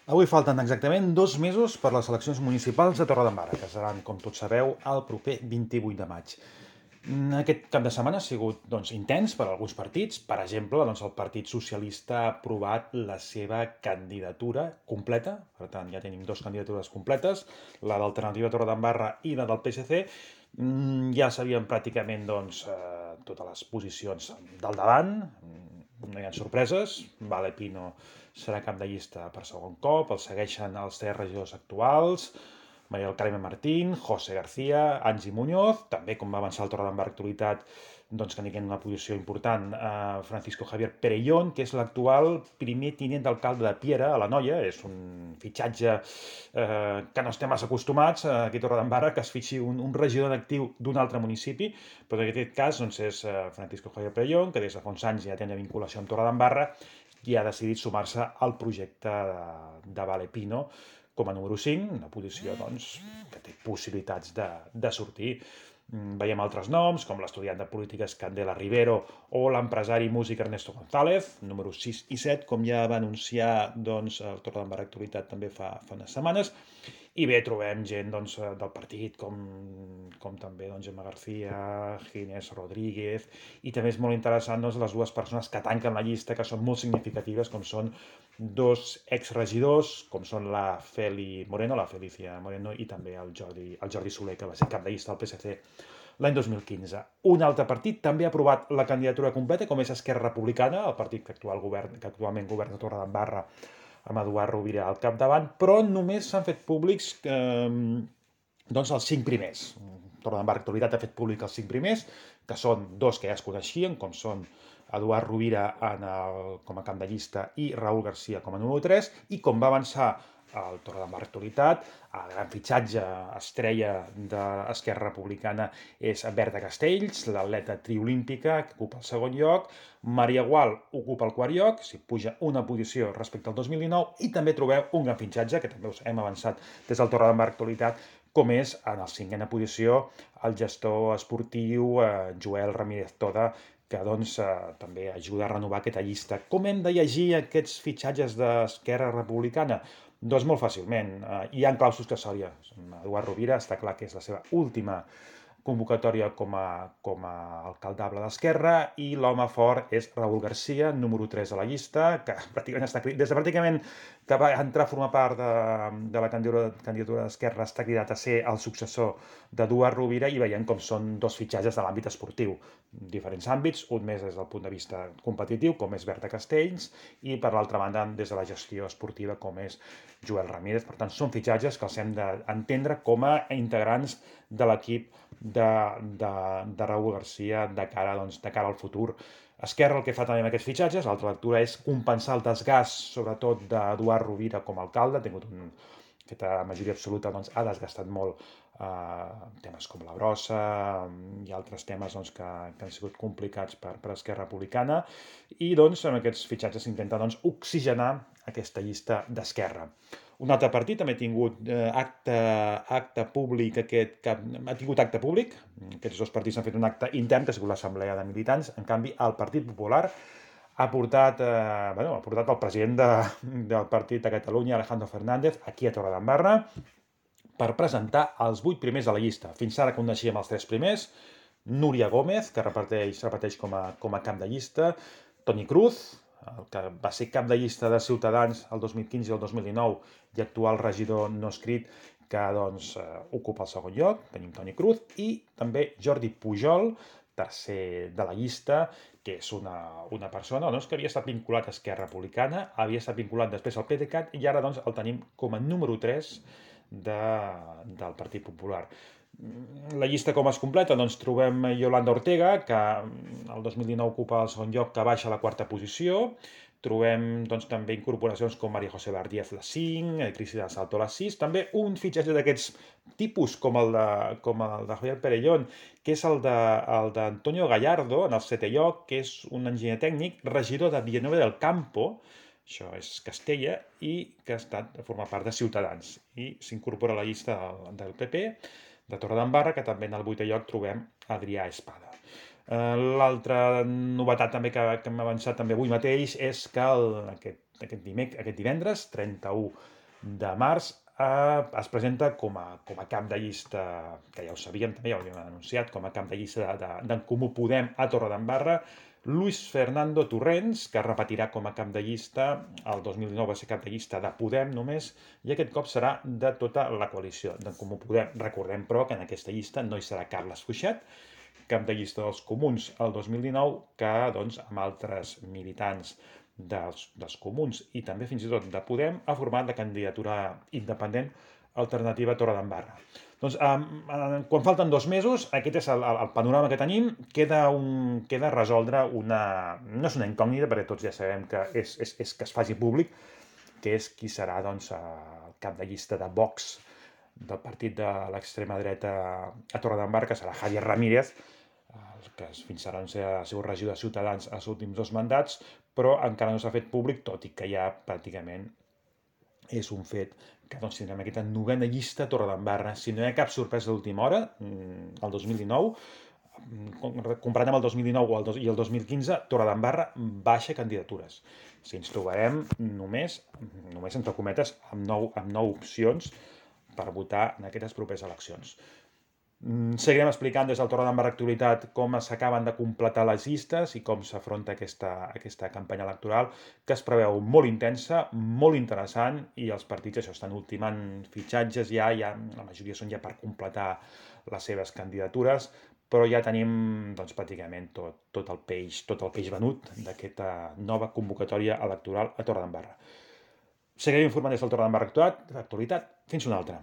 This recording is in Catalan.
Avui falten exactament 2 mesos per les eleccions municipals de Torredembarra, que seran, com tots sabeu, el proper 28 de maig. Aquest cap de setmana ha sigut intens per a alguns partits. Per exemple, el Partit Socialista ha aprovat la seva candidatura completa. Per tant, ja tenim dues candidatures completes, la d'Alternativa Torredembarra i la del PSC. Ja sabíem pràcticament totes les posicions del davant. No hi ha sorpreses. Vale Pino serà cap de llista per segon cop. El segueixen els tres regidors actuals, María del Carmen Martín, José García, Angie Muñoz, també com va avançar el Torredembarra Actualitat, que n'hi una posició important, Francisco Javier Perellón, que és l'actual primer tinent d'alcalde de Piera, a la Noia. És un fitxatge que no estem massa acostumats aquí a Torredembarra, que es fitxi un regidor en actiu d'un altre municipi, però en aquest cas és Francisco Javier Perellón, que des de fa uns anys ja té una vinculació amb Torredembarra i ha decidit sumar-se al projecte de Vale Pino com a número 5, una posició que té possibilitats de sortir. Veiem altres noms, com l'estudiant de polítiques Candela Rivero o l'empresari músic Ernesto González, números 6 i 7, com ja va anunciar el Torredembarra Actualitat també fa unes setmanes. I bé, trobem gent del partit com també Gemma García, Ginés Rodríguez, i també és molt interessant les dues persones que tanquen la llista, que són molt significatives, com són dos exregidors, com són la Felicia Moreno, i també el Jordi Soler, que va ser cap de llista del PSC l'any 2015. Un altre partit també ha aprovat la candidatura completa, com és Esquerra Republicana, el partit que actualment governa Torredembarra, amb Eduard Rovira al capdavant, però només s'han fet públics els 5 primers. Torredembarra Actualitat ha fet públic els 5 primers, que són dos que ja es coneixien, com són Eduard Rovira com a cap de llista i Raül García com a número 3, i com va avançar el Torredembarra Actualitat, el gran fitxatge estrella d'Esquerra Republicana és Berta Castells, l'atleta triolímpica, que ocupa el segon lloc. Maria Gual ocupa el quart lloc, s'hi puja una posició respecte al 2019, i també trobeu un gran fitxatge, que també us hem avançat des del Torredembarra Actualitat, com és en la cinquena posició el gestor esportiu Joel Ramírez Toda, que també ajuda a renovar aquesta llista. Com hem de llegir aquests fitxatges d'Esquerra Republicana? Doncs molt fàcilment. Hi ha claus successòria. Eduard Rovira està clar que és la seva última convocatòria com a alcaldable d'Esquerra, i l'home fort és Raül García, número 3 a la llista, que pràcticament des de pràcticament que va entrar a formar part de la candidatura d'Esquerra, està cridat a ser el successor d'Eduard Rovira, i veiem com són dos fitxatges de l'àmbit esportiu. Diferents àmbits, un més des del punt de vista competitiu, com és Berta Castells, i per l'altra banda des de la gestió esportiva, com és Joel Ramírez. Per tant, són fitxatges que els hem d'entendre com a integrants de l'equip de Raül García de cara al futur. Esquerra el que fa també amb aquests fitxatges, l'altra lectura, és compensar el desgast, sobretot d'Eduard Rovira com a alcalde. Ha tingut aquesta majoria absoluta, ha desgastat molt temes com la brossa i altres temes que han sigut complicats per Esquerra Republicana, i amb aquests fitxatges s'intenta oxigenar aquesta llista d'Esquerra. Un altre partit també ha tingut acte públic ha tingut acte públic. Aquests dos partits han fet un acte intern, que ha sigut l'assemblea de militants. En canvi, el Partit Popular ha portat el president del partit de Catalunya, Alejandro Fernández, aquí a Torredembarra, per presentar els 8 primers de la llista. Fins ara coneixíem els 3 primers: Núria Gómez, que repeteix com a cap de llista; Toni Cruz, el que va ser cap de llista de Ciutadans el 2015 i el 2019 i actual regidor no escrit, que ocupa el segon lloc. Tenim Toni Cruz, i també Jordi Pujol, tercer de la llista, que és una persona que havia estat vinculat a Esquerra Republicana, havia estat vinculat després al PDeCAT, i ara el tenim com a número 3 del Partit Popular. La llista com es completa? Trobem Yolanda Ortega, que el 2019 ocupa el segon lloc, que baixa a la quarta posició. Trobem també incorporacions com María José Bardíez, la 5, Cristina Salto, la 6. També un fitxatge d'aquests tipus, com el de Javier Perellón, que és el d'Antonio Gallardo, en el 7è lloc, que és un enginyer tècnic, regidor de Villanueva del Campo, això és Castella, i que ha estat a formar part de Ciutadans, i s'incorpora a la llista del PP de Torredembarra, que també en el 8è lloc trobem Adrià Espada. L'altra novetat també que hem avançat també avui mateix és que aquest aquest divendres, 31 de març, es presenta com a cap de llista, que ja ho sabíem també, ja ho havíem anunciat, com a cap de llista d'en Comú Podem a Torredembarra, Luis Fernando Torrents, que repetirà com a cap de llista, el 2019 va ser cap de llista de Podem només, i aquest cop serà de tota la coalició d'en Comú Podem. Recordem, però, que en aquesta llista no hi serà Carles Fuixet, cap de llista dels comuns el 2019, que doncs, amb altres militants dels comuns i també fins i tot de Podem ha format la candidatura independent alternativa Torredembarra. Doncs, quan falten 2 mesos, aquest és el panorama que tenim. Queda resoldre una... no és una incògnita, perquè tots ja sabem que és que es faci públic, que és qui serà doncs, el cap de llista de Vox del partit de l'extrema dreta a Torredembarra, que serà Javier Ramírez, que fins ara ha sigut regidor de Ciutadans els últims 2 mandats, però encara no s'ha fet públic, tot i que ja pràcticament és un fet que doncs, tindrem aquesta 9a llista a Torredembarra. Si no hi ha cap sorpresa d'última hora, el 2019, comparat amb el 2019 i el 2015, Torredembarra baixa candidatures. Si ens trobarem només entre cometes, amb 9 opcions per votar en aquestes properes eleccions. Seguirem explicant des del Torredembarra Actualitat com s'acaben de completar les llistes i com s'afronta aquesta campanya electoral, que es preveu molt intensa, molt interessant, i els partits això estan ultimant fitxatges ja, la majoria són ja per completar les seves candidatures, però ja tenim doncs, pràcticament tot el peix venut d'aquesta nova convocatòria electoral a Torredembarra. Seguirem informant des del Torredembarra Actualitat. Fins una altra.